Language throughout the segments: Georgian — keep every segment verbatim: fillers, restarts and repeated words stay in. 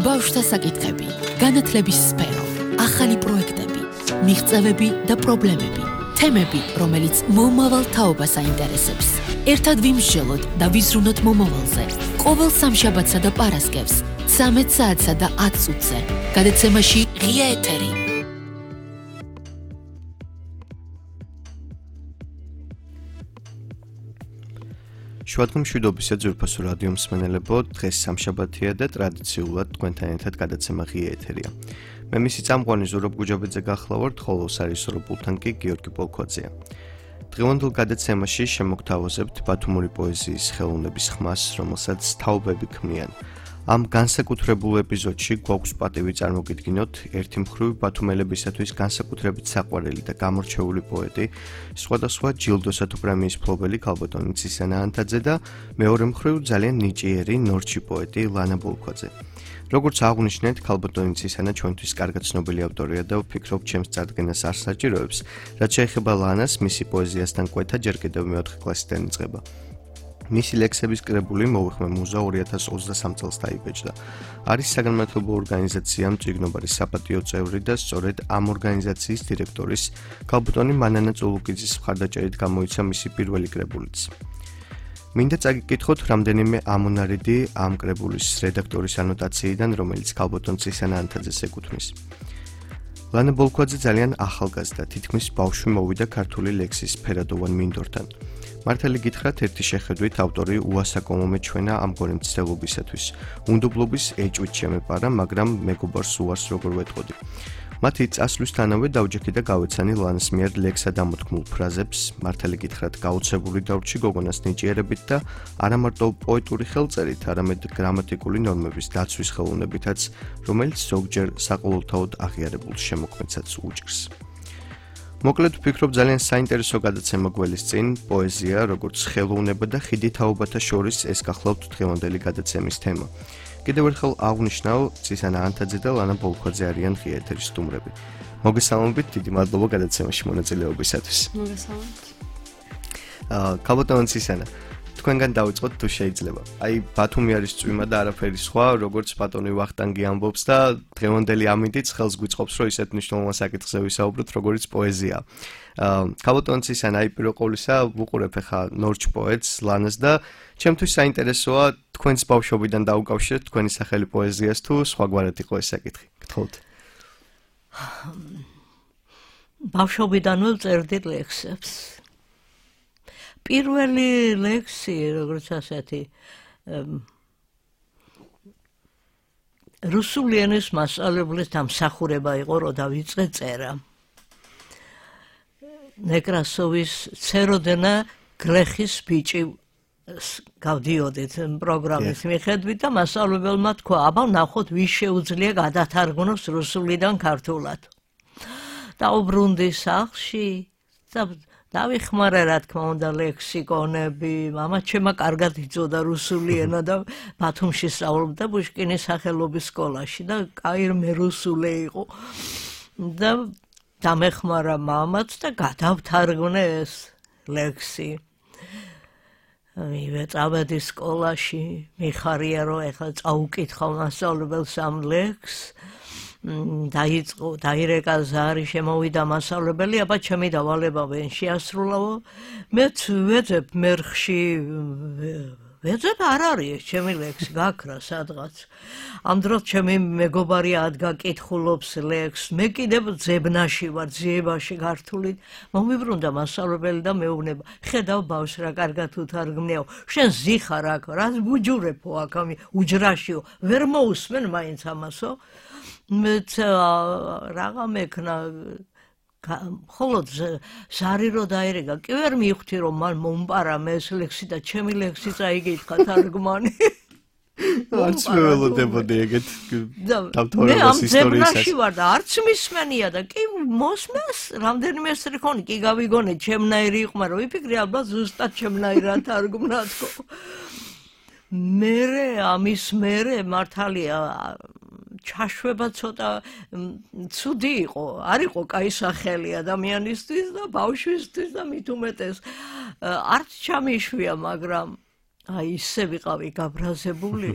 ბავშვთა საკითხები, განათლების სფერო, ახალი პროექტები, მიღწევები და პრობლემები, თემები, რომელიც მომავალ თაობას აინტერესებს. ერთად ვიმსჯელოთ და ვიზრუნოთ მომავალზე. ყოველ სამშაბათსა და პარასკევს, ცამეტ საათსა და ათ წუთზე. გადაცემაში ღია ეთერი. შუადღე მშვიდობისა ძვირფასო რადიო მსმენელებო, დღეს სამშაბათია და ტრადიციულად თქვენთან ერთად გადაცემა ღია ეთერია. მე მისი წამყვანი ზურაბ გუჯაბეძე გახლავართ, ხოლო სარისორო პულტთან კი გიორგი პოლქოძეა. დღევანდელ გადაცემაში შემოგთავაზებთ ბათუმური პოეზიის ხელოვნების ხმას, რომელსაც თაობები ქმნიან. ამ განსაკუთრებულ ეპიზოდში გვაქვს პატივი წარმოგიდგინოთ ერთი მხრივ ბათუმელებისათვის განსაკუთრებით საყვარელი და გამორჩეული პოეტი, სხვადასხვა ჯილდოსა თუ პრემიის მფლობელი ქალბატონი ცისანა ანთაძე და მეორე მხრივ ძალიან ნიჭიერი ნორჩი პოეტი ლანა ბოლქვაძე. როგორც აღვნიშნეთ, ქალბატონი ცისანა ჩვენთვის კარგად ცნობილი ავტორია და ვფიქრობ, ჩემს წარდგენას არ საჭიროებს, რაც შეეხება ლანას, მისი პოეზიასთან კვეთა ჯერ კიდევ მეოთხე კლასიდან იწყება. მისი ლექსების კრებული მოვიხმე მუზა ორი ათას ოცდასამ წელს დაიბეჭდა. არის საგანმანათლებლო ორგანიზაცია მწიგნობარის საპატიო წევრი და სწორედ ამ ორგანიზაციის დირექტორის ქალბატონი მანანა წულუკიძის მხარდაჭერით გამოიცა მისი პირველი კრებულიც. მინდა წაგიკითხოთ რამდენიმე ამონარიდი ამ კრებულის რედაქტორის ანოტაციიდან, რომელიც ქალბატონ ცისანა ანთაძეს ეკუთვნის. ლანა ბოლქვაძე ძალიან ახალგაზრდა, თითქმის ბავშვი მოვიდა ქართული ლექსის ფერადოვან მინდორთან. მართალი გითხრათ, ერთი შეხედვით ავტორი უასაკომო მეჩვენა ამგვარი მცდელობისათვის. უნდობლობის ეჭვით შემეპარა, მაგრამ მეგობარს უარს როგორ ვეტყოდი. მათი წასვლისთანავე დავჯექი და გავეცანი ლანას მიერ ლექსად ამოთქმულ ფრაზებს, მართალი გითხრათ, გაუცებული დავრჩი გოგონას ნიჭიერებით და არა მარტო პოეტური ხელწერით, არამედ გრამატიკული ნორმების დაცვის ხელოვნებითაც, რომელიც ზოგჯერ საყოველთაოდ აღიარებულ შემოქმედსაც უჭირს. მოკლედ ვფიქრობ, ძალიან საინტერესო გადაცემა გველის წინ, პოეზია, როგორც ხელოვნება და ხიდი თაობათა შორის ეს გახლავთ დღევანდელი გადაცემის თემა. კიდევ ერთხელ აღვნიშნავ, ცისანა ანთაძე და ლანა ბოლქვაძე არიან ღია ეთერის სტუმრები. მოგესალმებით, დიდი მადლობა გადაცემაში მონაწილეობისათვის. მოგესალმებით. აა, ქალბატონ ცისანა, თქვენგან დავიწყოთ თუ შეიძლება. აი, ბათუმი არის წვიმა და არაფერი სხვა, როგორც ბატონი ვახტანგი ამბობს და დღევანდელი ამინდიც ხელს გვიწყობს, რომ ისეთ მნიშვნელოვან საკითხზე ვისაუბროთ, როგორც პოეზია. აა, ქალბატონ ცისანა, აი პირველ ყოვლისა ვუყურებ ახლა ნორჩ პოეტს ლანას და ჩემთვის საინტერესოა თქვენს ბავშვობიდან დაუკავშირეთ თქვენი სახელი პოეზიას თუ სხვაგვარად იყო ეს საკითხი. გთხოვთ. ბავშვობიდანვე ვწერდი ლექსებს. პირველი ლექსი, როგორც ასეთი, რუსული ენის მასწავლებლის დამსახურება იყო, რომ დავიწყე წერა. ნეკრასოვის ცეროდენა გლეხის ბიჭი გავდიოდით პროგრამის მიხედვით და მასწავლებელმა თქვა, აბა ნახოთ, ვის შეუძლია გადათარგმნოს რუსულიდან ქართულად. დაუბრუნდი სახლში და დავიხმარა, რა თქმა უნდა, ლექსიკონები, მამა ჩემმა კარგად იცოდა რუსული ენა და ბათუმში სწავლობდა პუშკინის სახელობის სკოლაში და კაირმე რუსული იყო. და დამეხმარა მამაც და გადავთარგმნე ეს ლექსი. მივეწავედი სკოლაში, მიხარია, რომ ეხლა წაუკითხავ მასწავლებელს ამ ლექსს. დაიწყო, დაირეკა ზარი, შემოვიდა მასწავლებელი, აბა ჩემი დავალება ვენ შეასრულაო. მეც ვეძებ მერხში, ვეძებ არ არის, ჩემი ლექსი გაქრა სადღაც. ამ დროს ჩემი მეგობარი ადგა კითხულობს ლექსს, მე კიდევ ძებნაში ვარ, ძიებაში გართულით. მომიბრუნდა მასწავლებელი და მეუბნება, ხედავ ბავშვს რა კარგად უთარგმნიაო, შენ ზიხარ აქ, რას ბუჯურებო აქ ამი უჯრაშიო, ვერ მოусმენ მაინც ამასო. მეც რაღა მექნა, ხოლოდ ზარი რო დაირეკა, კი ვერ მივხვდი, რომ მან მომპარამ ეს ლექსი და ჩემი ლექსი წაიგითხა თარგმანი. არც ველოდებოდი ეგეთ მე ამ ძებნაში ვარ და არც მისმენია და კი მოსმენს რამდენიმე სტრიქონი კი გავიგონე ჩემნაირი იყო, მაგრამ ვიფიქრე ალბათ ზუსტად ჩემნაირად თარგმნა თქო. მერე ამის მერე მართალია ჩაშვება ცოტა ცუდი იყო, არ იყო კაი სახელი ადამიანისთვის და ბავშვისთვის და მით უმეტეს არც ჩამიშვია, მაგრამ აი ისე ვიყავი გაბრაზებული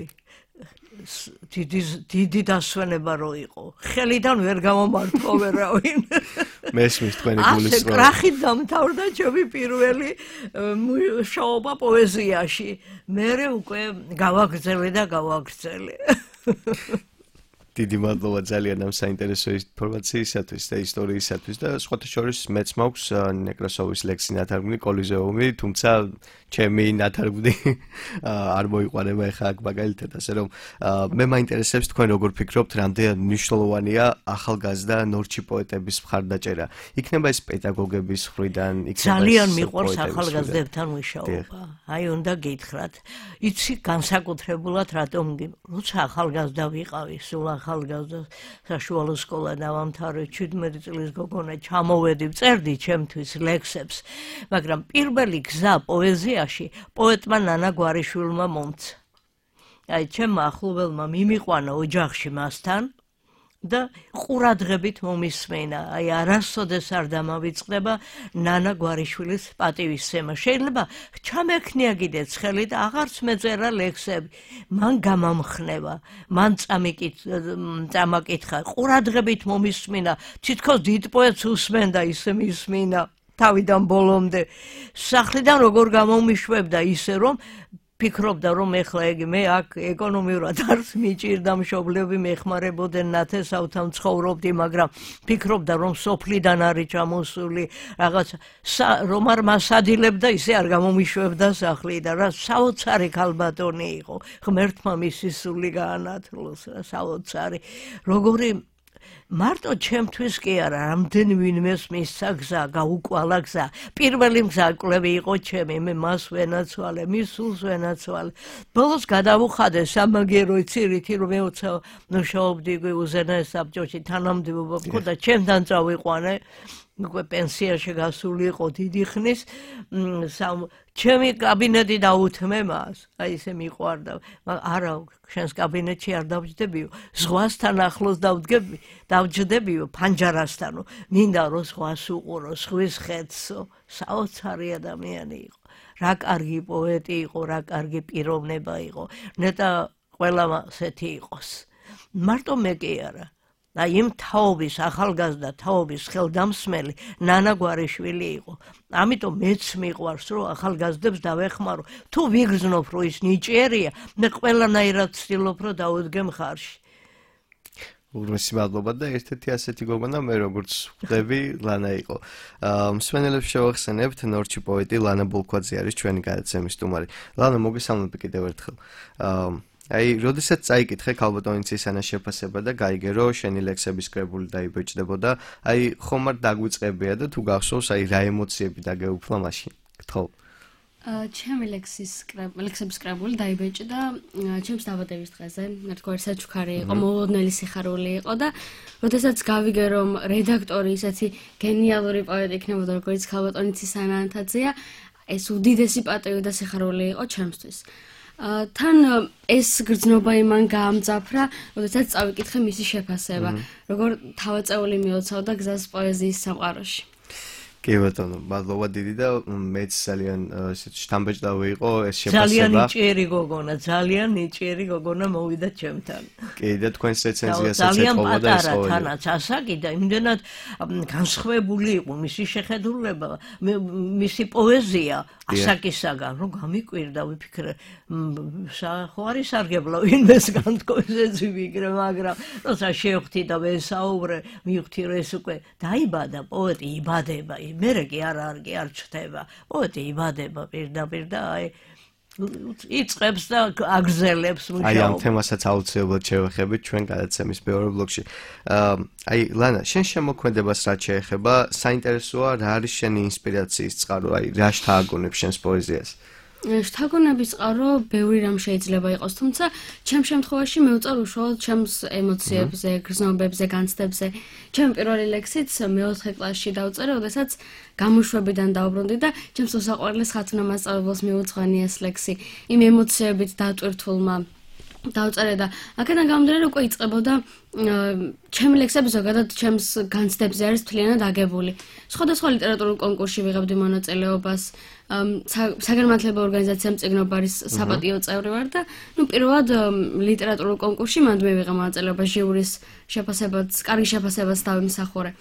დიდი დიდი დასვენება რო იყო. ხელიდან ვერ გამომართო ვერავინ. მესმის თქვენი გულისწყრობა. ასე კრახით დამთავრდა ჩემი პირველი მუშაობა პოეზიაში. მერე უკვე გავაგრძელე და გავაგრძელე. დიდი მადლობა ძალიან ამ საინტერესო ინფორმაციისათვის და ისტორიისათვის და სხვათა შორის მეც მაქვს ნეკრასოვის ლექსი ნათარგმნი კოლიზეუმი, თუმცა ჩემი ნათარგმნი არ მოიყვანება ახლა აქ მაგალითად, ასე რომ მე მაინტერესებს თქვენ როგორ ფიქრობთ, რამდენად მნიშვნელოვანია ახალგაზრდა ნორჩი პოეტების მხარდაჭერა. იქნება ეს პედაგოგების მხრიდან, იქნება ძალიან მიყვარს ახალგაზრდებთან მუშაობა. აი უნდა გითხრათ. იცი განსაკუთრებულად რატომ როცა ახალგაზრდა ვიყავი, სულ ახალგაზრდა საშუალო სკოლა დავამთავრე, ჩვიდმეტი წლის გოგონა ჩამოვედი, წერდი ჩემთვის ლექსებს, მაგრამ პირველი გზა პოეზიაში პოეტმა ნანა გვარიშვილმა მომცა. აი ჩემმა ახლობელმა მიმიყვანა ოჯახში მასთან და ყურადღებით მომისმენა. აი არასოდეს არ დამავიწყდება ნანა გვარიშვილის პატივისცემა. შეიძლება ჩამექნია კიდეც ხელი და აღარც მეწერა ლექსები. მან გამამხნევა, მან წამაკითხა, ყურადღებით მომისმენა, თითქოს დიდ პოეტს უსმენდა ისე მისმინა თავიდან ბოლომდე. სახლიდან როგორ გამომიშვებდა ისე რომ ფიქრობდა რომ ეხლა ეგი მე აქ ეკონომიურად არც მიჭირდა მშობლები მეხმარებოდნენ ნათესავთან ცხოვრობდი, მაგრამ ფიქრობდა რომ სოფლიდან არის ჩამოსული რაღაც რომ არ მასადილებდა ისე არ გამომიშვებდა სახლიდან. რა საოცარი ქალბატონი იყო, ღმერთმა მისი სული გაანათლოს რა საოცარი. როგორი მარტო ჩემთვის კი არა, რამდენი ვინმეს მისცა გზა, გაუკვალა გზა. პირველი მგზავრები იყო ჩემი, მე მას ვენაცვალე, მის სულს ვენაცვალე. ბოლოს გადავუხადე სამაგერო ცირითი რომ მეოცა მუშაობდი უზენაეს საბჭოში, თანამდებობა მქონდა, ჩემთან წავიყვანე. უკვე პენსიაში გასული იყო დიდი ხნის, ჩემი კაბინეტი დაუთმე მას, აი ესე მიყვარდა. არა, შენს კაბინეტში არ დავჯდებიო, ზღვასთან ახლოს დავდგები, დავჯდებიო ფანჯარასთანო. მინდა რომ ზღვას უყურო, ზღვის ხედსო, საოცარი ადამიანი იყო. რა კარგი პოეტი იყო, რა კარგი პიროვნება იყო. ნეტა ყველა ასეთი იყოს. მარტო მე კი არა. და იმ თაობის, ახალგაზრდა თაობის ხელდამსმელი ნანა გვარიშვილი იყო. ამიტომ მეც მიყვარს რომ ახალგაზრდებს დავეხმარო. თუ ვიგრძნობ რომ ის ნიჭიერია, მე ყველანაირად ვცდილობ რომ დავუდგე მხარში. უღრმესი მადლობა და ერთ-ერთი ასეთი გოგონა მე როგორც ხვდები ლანა იყო. მსმენელებს შევახსენებთ, ნორჩი პოეტი ლანა ბოლქვაძე არის ჩვენი გადაცემის სტუმარი. ლანა, მოგესალმები კიდევ ერთხელ. აი, როდესაც წაიკითხე ქალბატონიცის ანას შეფასება და გაიგე რომ შენი ლექსების კრებული დაიბეჭდებოდა, აი ხომ არ დაგვიწყებია და თუ გახსოვს, აი რა ემოციები დაგეუფლა მაშინ? გთხოვ. ჩემი ლექსის ლექსების კრებული დაიბეჭდა ჩემს დაბადების დღეზე, ერთგვარი საჩუქარი იყო, მოულოდნელი სიხარული იყო და როდესაც გავიგე რომ რედაქტორი ისეთი გენიალური პოეტი იქნებოდა, როგორც ქალბატონიცის ანა ანთაძეა, ეს უდიდესი პატივი და სიხარული იყო ჩემთვის. თან ეს გრძნობა იმან გაამძაფრა, როდესაც წავიკითხე მისი შეფასება, როგორ თავაწეული მიოცავდა გზას პოეზიის სამყაროში. კი ბატონო, მადლობა დიდი და მეც ძალიან ესეთ შთამბეჭდავი იყო ეს შეფასება. ძალიან ნიჭიერი გოგონა, ძალიან ნიჭიერი გოგონა მოვიდა ჩემთან. კი და თქვენს რეცენზიასაც ეთხოვა და ეს ყოველი. თანაც ასაკი და იმდენად განსხვავებული იყო მისი შეხედულება, მისი პოეზია ასაკისაგან, რომ გამიკვირდა, ვიფიქრე, ხო არის სარგებლო ვინმეს განთქოსეცი ვიგრე, მაგრამ როცა შევხვდი და ვესაუბრე, მივხვდი რომ ეს უკვე დაიბადა პოეტი, იბადება. მერე კი არ არ კი არ ჩდება. პოეტი იბადება პირდაპირ და აი იწყებს და აგზელებს მუშაობას. აი ამ თემასაც აუცილებლად შევეხებით ჩვენ გადაცემის მეორე ბლოკში. აი ლანა, შენ შემოქმედებას რაც შეეხება, საინტერესოა რა არის შენი ინსპირაციის წყარო, აი რა შთააგონებს შენს პოეზიას? შთაგონების წყარო ბევრი რამ შეიძლება იყოს, თუმცა ჩემ შემთხვევაში მევწარ უშუალოდ ჩემს ემოციებზე, გრძნობებზე, განცდებზე. ჩემი პირველი ლექსიც მეოთხე კლასში დავწერე, როდესაც გამოშვებიდან დავბრუნდი და ჩემს უსაყვარლეს ხათუნა მასწავლებელს მიუძღვანი ეს ლექსი იმ ემოციებით დატვირთულმა დავწერე და აქედან გამომდინარე უკვე იწყებოდა ჩემი ლექსები ზოგადად ჩემს განცდებზე არის მთლიანად აგებული. სხვადასხვა ლიტერატურულ კონკურსში ვიღებდი მონაწილეობას, საგანმანათლებლო ორგანიზაციამ წიგნობარის საპატიო წევრი ვარ და ნუ პირველად ლიტერატურულ კონკურსში მანდ მივიღე მონაწილეობა ჟიურის შეფასებაც, კარგი შეფასებას დავიმსახურე.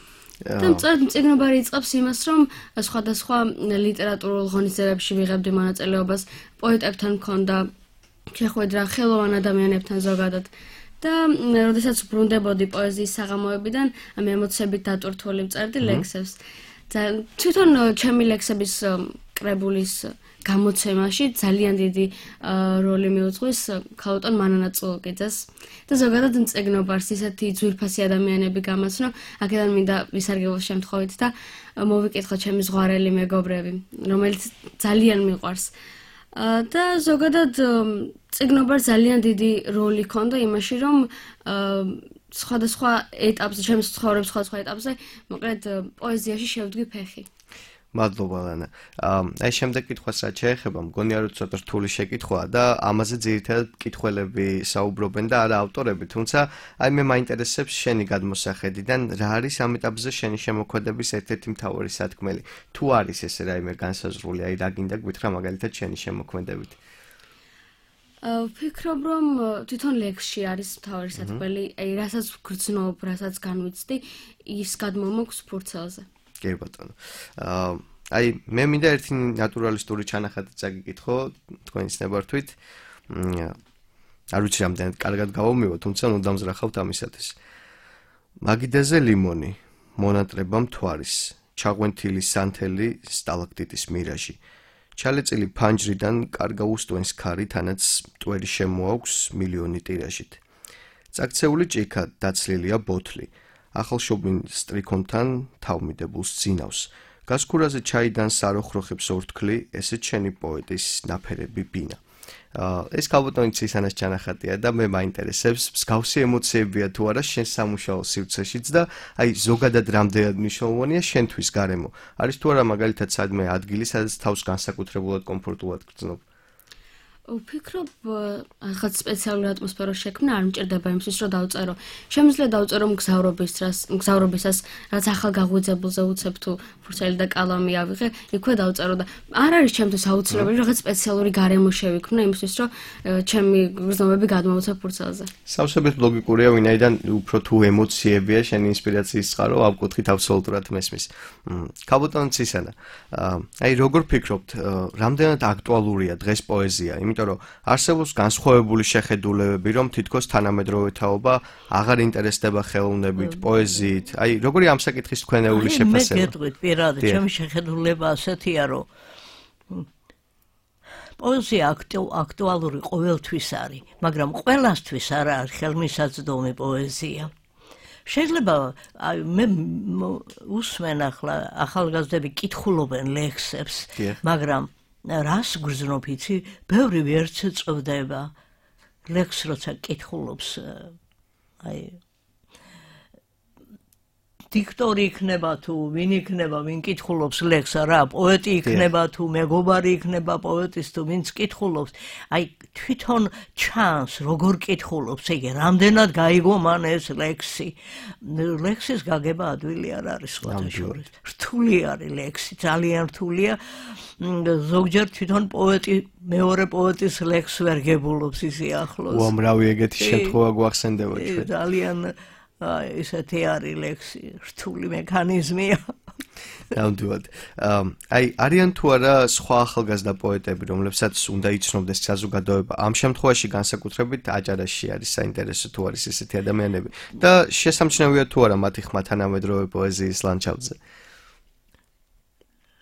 და წიგნობარი იწყებს იმას, რომ სხვადასხვა ლიტერატურულ ღონისძიებებში ვიღებდი მონაწილეობას, პოეტებთან მქონდა შეხვედრა ხელოვან ადამიანებთან ზოგადად და როდესაც ბრუნდებოდი პოეზიის საღამოებიდან ამ ემოციებით დატვირთული ვწერდი ლექსებს. თვითონ ჩემი ლექსების კრებულის გამოცემაში ძალიან დიდი როლი მიუძღვის ქალბატონ მანანა წულუკიძეს და ზოგადად წიგნობარს ისეთი ძვირფასი ადამიანები გამაცნო, აქედან მინდა ვისარგებლოს შემთხვევით და მოვიკითხო ჩემი ზღვარელი მეგობრები, რომელიც ძალიან მიყვარს. და ზოგადად წიგნობარს ძალიან დიდი როლი ჰქონდა იმაში, რომ სხვადასხვა ეტაპზე, ჩემს ცხოვრების სხვადასხვა ეტაპზე, მოკლედ პოეზიაში შევდგი ფეხი. მადლობა ლანა. აი შემდეგ კითხვას რაც შეეხება, მგონია რომ ცოტა რთული შეკითხვაა და ამაზე ძირითადად მკითხველები საუბრობენ და არა ავტორები, თუმცა აი მე მაინტერესებს შენი გადმოსახედიდან რა არის ამ ეტაპზე შენი შემოქმედების ერთ-ერთი მთავარი სათქმელი. თუ არის ესე რაიმე განსაზღვრული, აი რა გინდა გვითხრა მაგალითად შენი შემოქმედებით. ვფიქრობ, რომ თვითონ ლექსში არის მთავარი სათქმელი, აი რასაც გრძნობ, რასაც განვიცდი, ის გადმომოქვს ფურცელზე. კი ბატონო. აი მე მინდა ერთი ნატურალისტური ჩანახატი წაგიკითხო თქვენის ნებართვით. არ ვიცი რამდენად კარგად გავომივო, თუმცა ნუ დამზრახავთ ამისათვის. მაგიდაზე ლიმონი, მონატრება მთვარის, ჩაღვენთილი სანთელი სტალაქტიტის მირაჟი. ჩალეწილი ფანჯრიდან კარგა უსტვენს ქარი, თანაც მტვერი შემოაქვს მილიონი ტირაჟით. წაქცეული ჭიქა დაცლილია ბოთლი. ახალშობილ სტრიქონთან თავმიდებულს ძინავს. გასქურაზე ჩაიდან საროხროხებს ორთქლი, ესეც შენი პოეტის ნაფერები ბინა. ეს ქალბატონი ცისანას ჩანახატია და მე მაინტერესებს, მსგავსი ემოციებია თუ არა შენ სამუშაო სივრცეშიც და აი ზოგადად რამდენად მნიშვნელოვანია შენთვის გარემო. არის თუ არა მაგალითად სადმე ადგილი, სადაც თავს განსაკუთრებულად კომფორტულად გრძნობ. ვფიქრობ, რაღაც სპეციალური ატმოსფერო შექმნა არ მჭირდება იმისთვის, რომ დავწერო. შემიძლია დავწერო მგზავრობისას, მგზავრობისას, რაც ახალ გაღვიძებულზე უცებ თუ ფურცელი და კალამი ავიღე, იქვე დავწერო და არ არის ჩემთვის აუცილებელი რაღაც სპეციალური გარემო შევიქმნა იმისთვის, რომ ჩემი გრძნობები გადმოვუცებ ფურცელზე. სავსებით ლოგიკურია, ვინაიდან უფრო თუ ემოციებია, შენი ინსპირაციის წყარო ამ კუთხით აბსოლუტურად მესმის. ქალბატონ ცისანა, აი როგორ ფიქრობთ, რამდენად აქტუალურია დღეს პოეზია? იმიტომ რომ არსებობს განსხვავებული შეხედულებები, რომ თითქოს თანამედროვე თაობა აღარ ინტერესდება ხელოვნებით, პოეზიით. აი, როგორი ამ საკითხის თქვენეული შეფასება? მე გეტყვით, პირადად, ჩემი შეხედულება ასეთია, რომ პოეზია აქტუალური ყოველთვის არის, მაგრამ ყველასთვის არ არის ხელმისაწვდომი პოეზია. შეიძლება აი მე უსმენ ახლა ახალგაზრდები კითხულობენ ლექსებს, მაგრამ რას გრძნობ იცი, ბევრი ვერც წვდება ლექს როცა კითხულობს აი დიქტორი იქნება თუ ვინ იქნება, ვინ კითხულობს ლექს, რა, პოეტი იქნება თუ მეგობარი იქნება პოეტის თუ ვინც კითხულობს, აი თვითონ ჩანს როგორ კითხულობს, იგი რამდენად გაიგო მან ეს ლექსი. ლექსის გაგება ადვილი არ არის სხვადასხვა. რთული არის ლექსი, ძალიან რთულია. ზოგჯერ თვითონ პოეტი მეორე პოეტის ლექსს ვერ გებულობს ისი ახლოს. უამრავი ეგეთი შემთხვევა გვახსენდება ჩვენ. ძალიან აი ესეთი არის ლექსი, რთული მექანიზმია. ნამდვილად. აი არიან თუ არა სხვა ახალგაზრდა პოეტები, რომლებსაც უნდა იცნობდეს საზოგადოება. ამ შემთხვევაში განსაკუთრებით აჭარაში არის საინტერესო თუ არის ესეთი ადამიანები და შესამჩნევია თუ არა მათი ხმა თანამედროვე პოეზიის ლანდშაფტზე.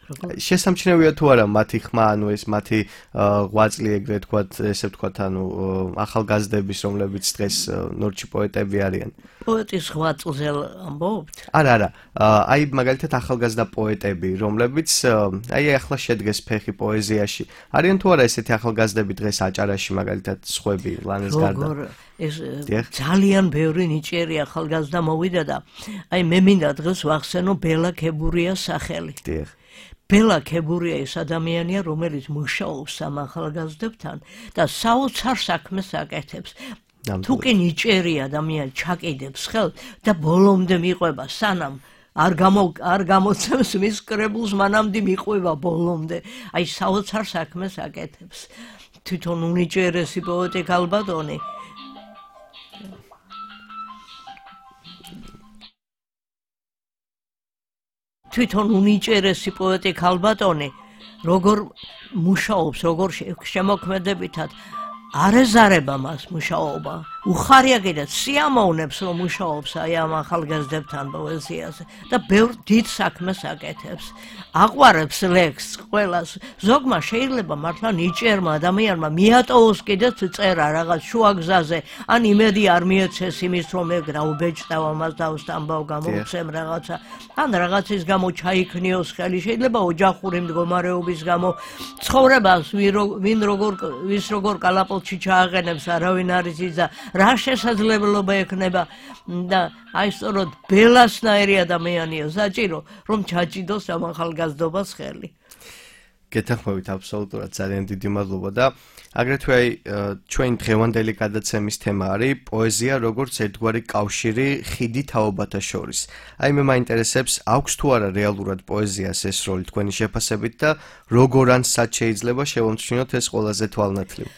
შესამჩნევია თუ არა მათი ხმა, ანუ ეს მათი ღვაწლი ეგრე თქვათ, ესე ვთქვათ, ანუ ახალგაზრდების, რომლებიც დღეს ნორჩი პოეტები არიან. პოეტის ღვაწლზე ამბობთ? არა, არა. აი მაგალითად ახალგაზრდა პოეტები, რომლებიც აი ახლა შედგეს ფეხი პოეზიაში. არიან თუ არა ესეთი ახალგაზრდები დღეს აჭარაში მაგალითად სხვები ლანეს გარდა? ეს ძალიან ბევრი ნიჭიერი ახალგაზრდა მოვიდა და აი მე მინდა დღეს ვახსენო ბელა ქებურიას სახელი. დიახ. ბელა ქებურია ეს ადამიანია, რომელიც მუშაობს ამ ახალგაზრდებთან და საოცარ საქმეს აკეთებს. თუ კი ნიჭიერი ადამიანი ჩაკიდებს ხელს და ბოლომდე მიყვება, სანამ არ გამო არ გამოცემს მის კრებულს, მანამდე მიყვება ბოლომდე. აი საოცარ საქმეს აკეთებს. თვითონ უნიჭიერესი პოეტი ქალბატონი თვითონ უნიჭიერესი პოეტი ქალბატონი როგორ მუშაობს, როგორ შემოქმედებითად არეზარება მას მუშაობა. უხარია კიდეც სიამოვნებს რომ მუშაობს აი ამ ახალგაზრდებთან პოეზიაზე და ბევრ დიდ საქმეს აკეთებს. აყვარებს ლექსს ყველას. ზოგმა შეიძლება მართლა ნიჭიერმა ადამიანმა მიატოვოს კიდეც წერა რაღაც შუაგზაზე, ან იმედი არ მიეცეს იმის რომ ეგ რა უბეჭდავ ამას დავსტამბავ გამოვცემ რაღაცა, ან რაღაცის გამო ჩაიქნიოს ხელი, შეიძლება ოჯახური მდგომარეობის გამო, ცხოვრებას ვინ როგორ ვის როგორ კალაპოტში ჩააყენებს არავინ არის იზა, რა შესაძლებლობა ექნება და აი სწორედ ბელასნაირი ადამიანია საჭირო რომ ჩაჭიდოს ამ ახალგაზრდობას ხელი. გეთანხმებით აბსოლუტურად, ძალიან დიდი მადლობა და აგრეთვე აი ჩვენ დღევანდელი გადაცემის თემა არის პოეზია როგორც ერთგვარი კავშირი ხიდი თაობათა შორის. აი მე მაინტერესებს, აქვს თუ არა რეალურად პოეზიას ეს როლი თქვენი შეფასებით და როგორ ან სად შეიძლება შევამჩნიოთ ეს ყველაზე თვალნათლივ?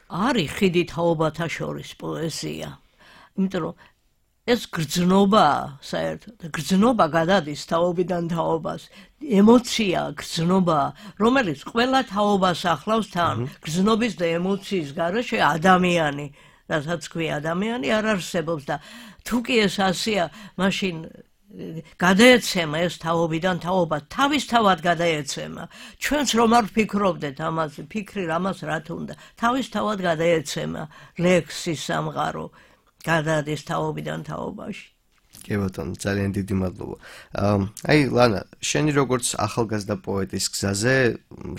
არის ხიდი თაობათა შორის პოეზია. იმიტომ რომ ეს გრძნობა, საერთოდ, გრძნობა გადადის თაობიდან თაობას, ემოცია, გრძნობა, რომელიც ყველა თაობას ახლავს თან, გრძნობის და ემოციის გარეშე ადამიანი, რასაც ქვია ადამიანი არ არსებობს და თუ კი ეს ასია, მაშინ გადაეცემა ეს თაობიდან თაობა, თავისთავად გადაეცემა. ჩვენც რომ არ ვფიქრობდეთ ამაზე, ფიქრი რამას რა თუნდა, თავისთავად გადაეცემა ლექსის სამყარო. გადადის თაობიდან თაობაში. კი ბატონო, ძალიან დიდი მადლობა. აი ლანა, შენი როგორც ახალგაზრდა პოეტის გზაზე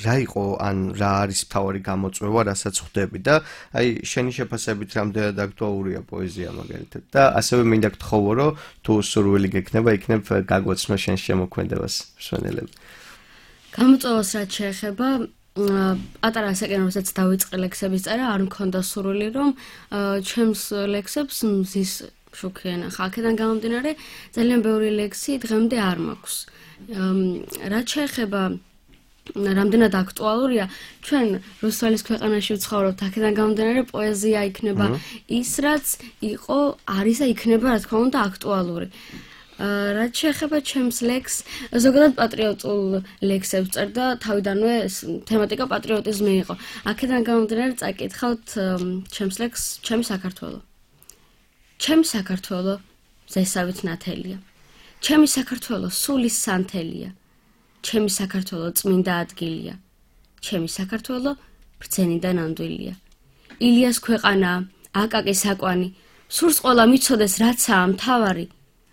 რა იყო ან რა არის მთავარი გამოწვევა, რასაც ხვდები და აი შენი შეფასებით რამდენად აქტუალურია პოეზია მაგალითად და ასევე მინდა გთხოვო, რომ თუ სურვილი გექნება, იქნებ გაგვაცნო შენ შემოქმედებას მსმენელები. გამოწვევას რაც შეეხება პატარა ასაკიდან, როდესაც დავიწყე ლექსების წერა, არ მქონდა სურვილი, რომ ჩემს ლექსებს მზის შუქიან. ხალხიდან გამომდინარე, ძალიან ბევრი ლექსი დღემდე არ მაქვს. რაც შეეხება რამდენად აქტუალურია, ჩვენ რუსეთის ქვეყანაში ვცხოვრობთ, აქედან გამომდინარე პოეზია იქნება ის, რაც იყო, არის და იქნება, რა თქმა უნდა, აქტუალური. რაც შეეხება ჩემს ლექსს, ზოგადად პატრიოტულ ლექსებს წერდა, თავიდანვე თემატიკა პატრიოტიზმი იყო. აქედან გამომდინარე წაკითხავთ ჩემს ლექსს, ჩემი საქართველო. ჩემი საქართველო ზესავით ნათელია. ჩემი საქართველო სულის სანთელია. ჩემი საქართველო წმინდა ადგილია. ჩემი საქართველო ბრძენიდან ანდვილია. ილიას ქვეყანა, აკაკის აკვანი, სურს ყოლა მიცოდეს რაცაა მთავარი.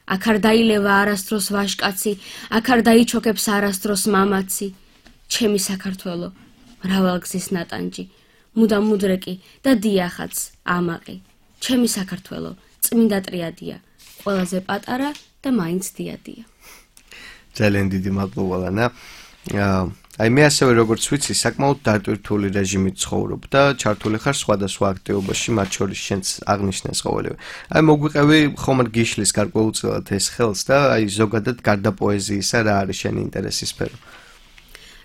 აქ არ დაილევა არასდროს ვაჟკაცი, აქ არ დაიჩოქებს არასდროს მამაცი. ჩემი საქართველო, მრავალგზის ნატანჯი, მუდამ მუდრეკი და დიახაც ამაყი. ჩემი საქართველო, წმინდა ტრიადია, ყველაზე პატარა და მაინც დიადია. ძალიან დიდი მადლობა ლანა. აი მე ასევე როგორც ვიცი, საკმაოდ დატვირთული რეჟიმით ცხოვრობ და ჩართული ხარ სხვადასხვა აქტივობაში, მათ შორის შენც აღნიშნეს ყოველივე. აი მოგვიყევი ხომ გიშლის გარკვეულწილად ეს ხელს და აი ზოგადად გარდა პოეზიისა რა არის შენი ინტერესის სფერო?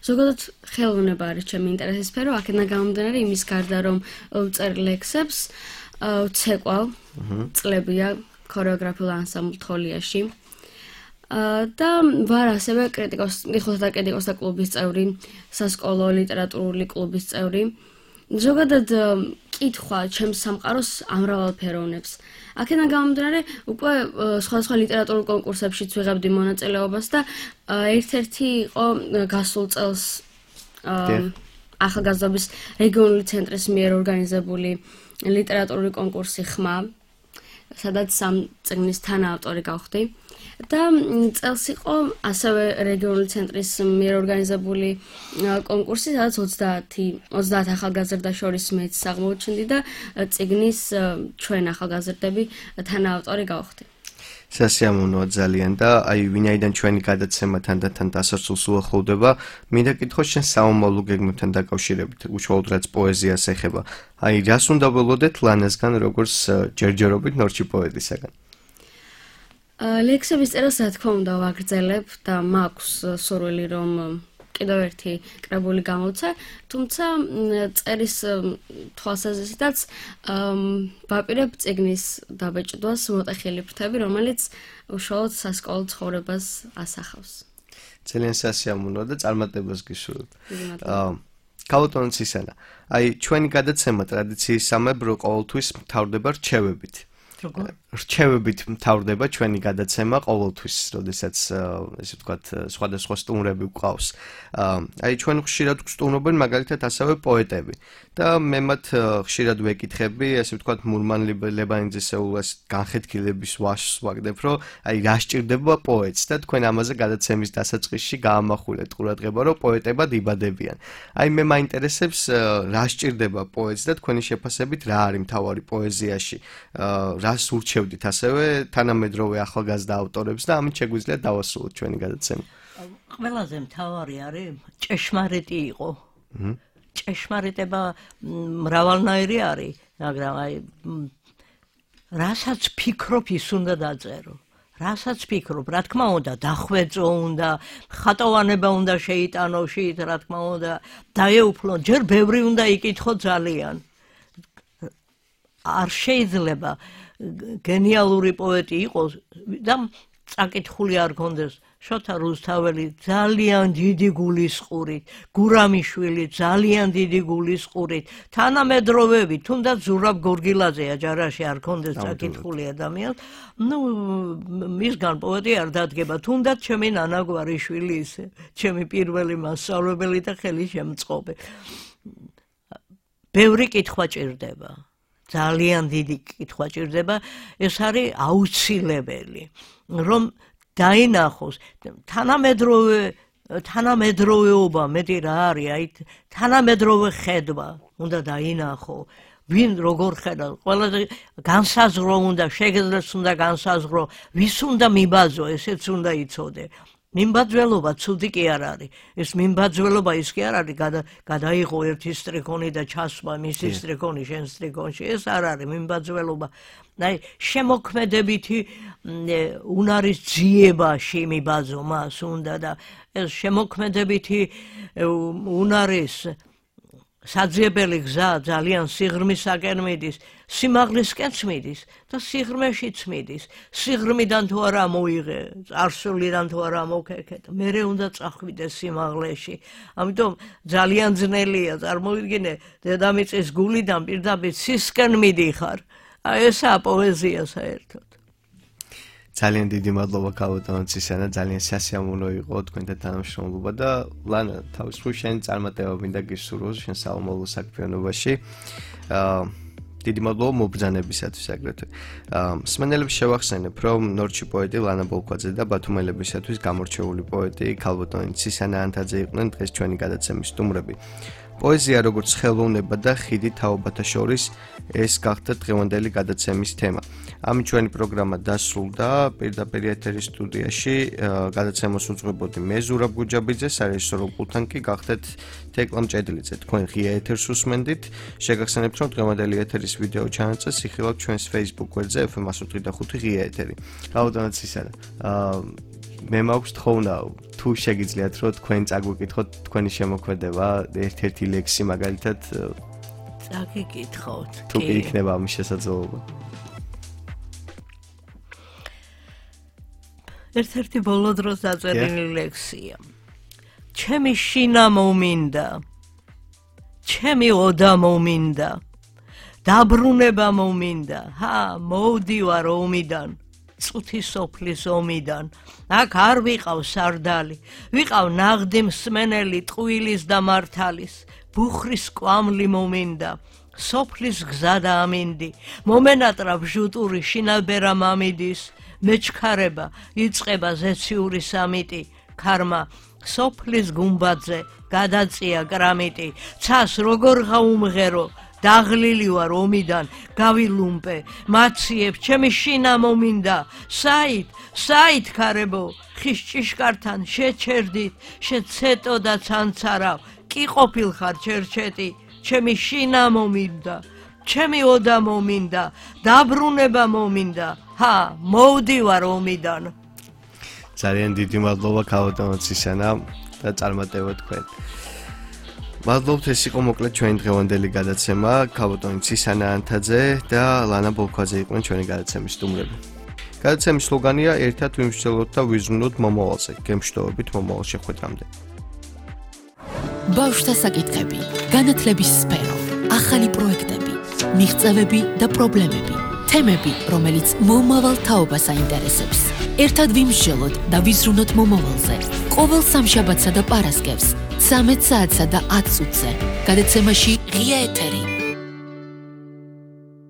ზოგადად ხელოვნება არის ჩემი ინტერესის სფერო, აქედან გამომდინარე იმის გარდა რომ ვწერ ლექსებს, ვცეკვავ წლებია ქორეოგრაფიულ ანსამბლ თოლიაში. და ვარ ასევე კრიტიკოს, მიხოთა კრიტიკოსთა კლუბის წევრი, სასკოლო ლიტერატურული კლუბის წევრი. ზოგადად კითხვა ჩემს სამყაროს ამრავალფეროვნებს. აქედან გამომდინარე, უკვე სხვადასხვა ლიტერატურულ კონკურსებშიც ვიღებდი მონაწილეობას და ერთ-ერთი იყო გასულ წელს ახალგაზრდობის რეგიონული ცენტრის მიერ ორგანიზებული ლიტერატურული კონკურსი ხმა, სადაც სამ წიგნის თანაავტორი გავხდი. და წელს იყო ასევე რეგიონული ცენტრის მიერ ორგანიზებული კონკურსი, სადაც ოცდაათ ახალგაზრდა შორის მეც აღმოჩნდი და წიგნის ჩვენ ახალგაზრდები თანაავტორი გავხდი. სასიამოვნოა ძალიან და აი ვინაიდან ჩვენი გადაცემა თანდათან დასასრულს უახლოვდება, მინდა კითხო შენ საომავლო გეგმებთან დაკავშირებით, უშუალოდ რაც პოეზიას ეხება. აი რას უნდა ველოდეთ ლანასგან, როგორც ჯერჯერობით ნორჩი პოეტისაგან? ლექსების წერას რა თქმა უნდა ვაგრძელებ და მაქვს სურვილი რომ კიდევ ერთი კრებული გამოვცე, თუმცა წერის თვალსაზრისითაც ვაპირებ წიგნის დაბეჭდვას მოტეხილი ფრთები, რომელიც უშუალოდ სასკოლო ცხოვრებას ასახავს. ძალიან სასიამოვნოა და წარმატებას გისურვებ. ქალბატონო ცისანა, აი ჩვენი გადაცემა ტრადიციისამებრ ყოველთვის მთავრდება რჩევებით. რჩევებით მთავრდება ჩვენი გადაცემა ყოველთვის, როდესაც ესე ვთქვათ, სხვადასხვა სტუმრები გვყავს. აი ჩვენ ხშირად გვსტუმრობენ მაგალითად ასევე პოეტები და მე მათ ხშირად ვეკითხები, ესე ვთქვათ, მურმან ლებანიძესეულას განხეთქილების ვაშს ვაგდებ, რომ აი რა სჭირდება პოეტს და თქვენ ამაზე გადაცემის დასაწყისში გაამახვილეთ ყურადღება, რომ პოეტებად იბადებიან. აი მე მაინტერესებს რა სჭირდება პოეტს და თქვენი შეფასებით რა არის მთავარი პოეზიაში. რას ურჩევდით ასევე თანამედროვე ახალგაზრდა ავტორებს და ამით შეგვიძლია დავასრულოთ ჩვენი გადაცემა. ყველაზე მთავარი არის ჭეშმარიტი იყო. ჭეშმარიტება მრავალნაირი არის, მაგრამ აი რასაც ფიქრობ, ის უნდა დაწერო. რასაც ფიქრობ, რა თქმა უნდა, დახვეწო უნდა, ხატოვანება უნდა შეიტანო შით, რა თქმა უნდა, დაეუფლო, ჯერ ბევრი უნდა იკითხო ძალიან. არ შეიძლება გენიალური პოეტი იყოს და წაკითხული არ გქონდეს. შოთა რუსთაველი ძალიან დიდი გულისყურით, გურამიშვილი ძალიან დიდი გულისყურით, თანამედროვეები, თუნდაც ზურაბ გორგილაძე აჯარაში არ გქონდეს წაკითხული ადამიანს, ნუ მისგან პოეტი არ დადგება, თუნდაც ჩემი ნანა გვარიშვილი ისე, ჩემი პირველი მასწავლებელი და ხელი შემწყობი. ბევრი კითხვა ჭირდება. ძალიან დიდი კითხვა ჭირდება, ეს არის აუცილებელი, რომ დაინახოს თანამედროვე თანამედროვეობა მეტი რა არის, აი თანამედროვე ხედვა უნდა დაინახო, ვინ როგორ ხედავს, ყველაზე განსაზღვრო უნდა, შეგეძლოს უნდა განსაზღვრო, ვის უნდა მიბაძო, ესეც უნდა იცოდე. მიმბაძველობა ცუდი კი არ არის. ეს მიმბაძველობა ის კი არ არის, გადაიღო ერთი სტრიქონი და ჩასვა მისი სტრიქონი შენ სტრიქონში. ეს არ არის მიმბაძველობა. აი შემოქმედებითი უნარის ძიებაში მიბაძო მას უნდა და ეს შემოქმედებითი უნარის საძიებელი გზა ძალიან სიღრმისაკენ მიდის, სიმაღლისკენც მიდის და სიღრმეშიც მიდის. სიღრმიდან თუ არა მოიღე, წარსულიდან თუ არა მოკერქეთ, მერე უნდა წახვიდეს სიმაღლეში. ამიტომ ძალიან ძნელია, წარმოვიდგინე, დედამიწის გულიდან პირდაპირ სისკენ მიდიხარ. აი ესაა პოეზია საერთოდ. ძალიან დიდი მადლობა ქალბატონო ცისანა, ძალიან სასიამოვნო იყო თქვენთან თანამშრომლობა და ლანა თავის მხრივ შენ წარმატება მინდა გისურვოს შენ საომავლო საქმიანობაში. აა დიდი მადლობა მობრძანებისათვის აგრეთვე. მსმენელებს შევახსენებ, რომ ნორჩი პოეტი ლანა ბოლქვაძე და ბათუმელებისათვის გამორჩეული პოეტი ქალბატონი ცისანა ანთაძე იყვნენ დღეს ჩვენი გადაცემის სტუმრები. პოეზია როგორც ხელოვნება და ხიდი თაობათა შორის, ეს გახდა დღევანდელი გადაცემის თემა. ამით ჩვენი პროგრამა დასრულდა. პირდაპირ ეთერის სტუდიაში გადაცემას უძღვებოდი მე ზურაბ გუჯაბიძე, სარეჟისორო პულტთან კი გახდეთ თეკლა მჭედლიძე. თქვენ ღია ეთერს უსმენდით. შეგახსენებთ, რომ დღევანდელი ეთერის ვიდეო ჩანაწერი იხილავთ ჩვენს Facebook გვერდზე ეფ ემ one oh five ღია ეთერი. ქალბატონო ცისანა, მე მაქვს თხოვნა, თუ შეგიძლიათ, რომ თქვენ წაგვიკითხოთ თქვენი შემოქმედება, ერთ-ერთი ლექსი მაგალითად წაგიკითხოთ. თუ კი იქნება ამის შესაძლებლობა. ერთ-ერთი ბოლო დროს დაწერილი ლექსია. ჩემი შინა მომინდა, ჩემი ოდა მომინდა, დაბრუნება მომინდა, ჰა, მოვდივარ ომიდან, წუთი სოფლის ომიდან, აქ არ ვიყავ სარდალი, ვიყავ ნაღდი მსმენელი ტყუილის და მართალის, ბუხრის კვამლი მომინდა, სოფლის გზა და ამინდი, მომენატრა ბჟუტური შინალბერა მამიდის, მეჩქარება, იწყება ზეციური სამიტი, ქარმა, სოფლის გუმბათზე, გადაწია კრამიტი, ცას როგორ გაუმღერო, დაღლილი ვარ ომიდან, გავილუმპე, მაციებ, ჩემი შინა მომინდა, საით, საით ქარებო, ხის ჭიშკართან შეჩერდით, შეცეტო და ცანცარავ, კი ყოფილხარ ჩერჩეტი, ჩემი შინა მომინდა, ჩემი ოდა მომინდა, დაბრუნება მომინდა, ჰა, მოვდივარ ომიდან. ძალიან დიდი მადლობა ქალბატონო ცისანა და წარმატება თქვენ. მადლობთ, ეს იყო მოკლედ ჩვენი დღევანდელი გადაცემა. ქალბატონი ცისანა ანთაძე და ლანა ბოლქვაძე იყვნენ ჩვენი გადაცემის სტუმრები. გადაცემის სლოგანია ერთად ვიმსჯელოთ და ვიზრუნოთ მომავალზე. გემშვიდობებით მომავალ შეხვედრამდე. ბავშვთა საკითხები, განათლების სფერო, ახალი პროექტები, მიღწევები და პრობლემები, თემები, რომელიც მომავალ თაობას აინტერესებს. ერთად ვიმსჯელოთ და ვიზრუნოთ მომავალზე. ყოველ სამშაბათსა და პარასკევს, ცამეტ საათსა და ათ წუთზე. გადაცემაში ღია ეთერი.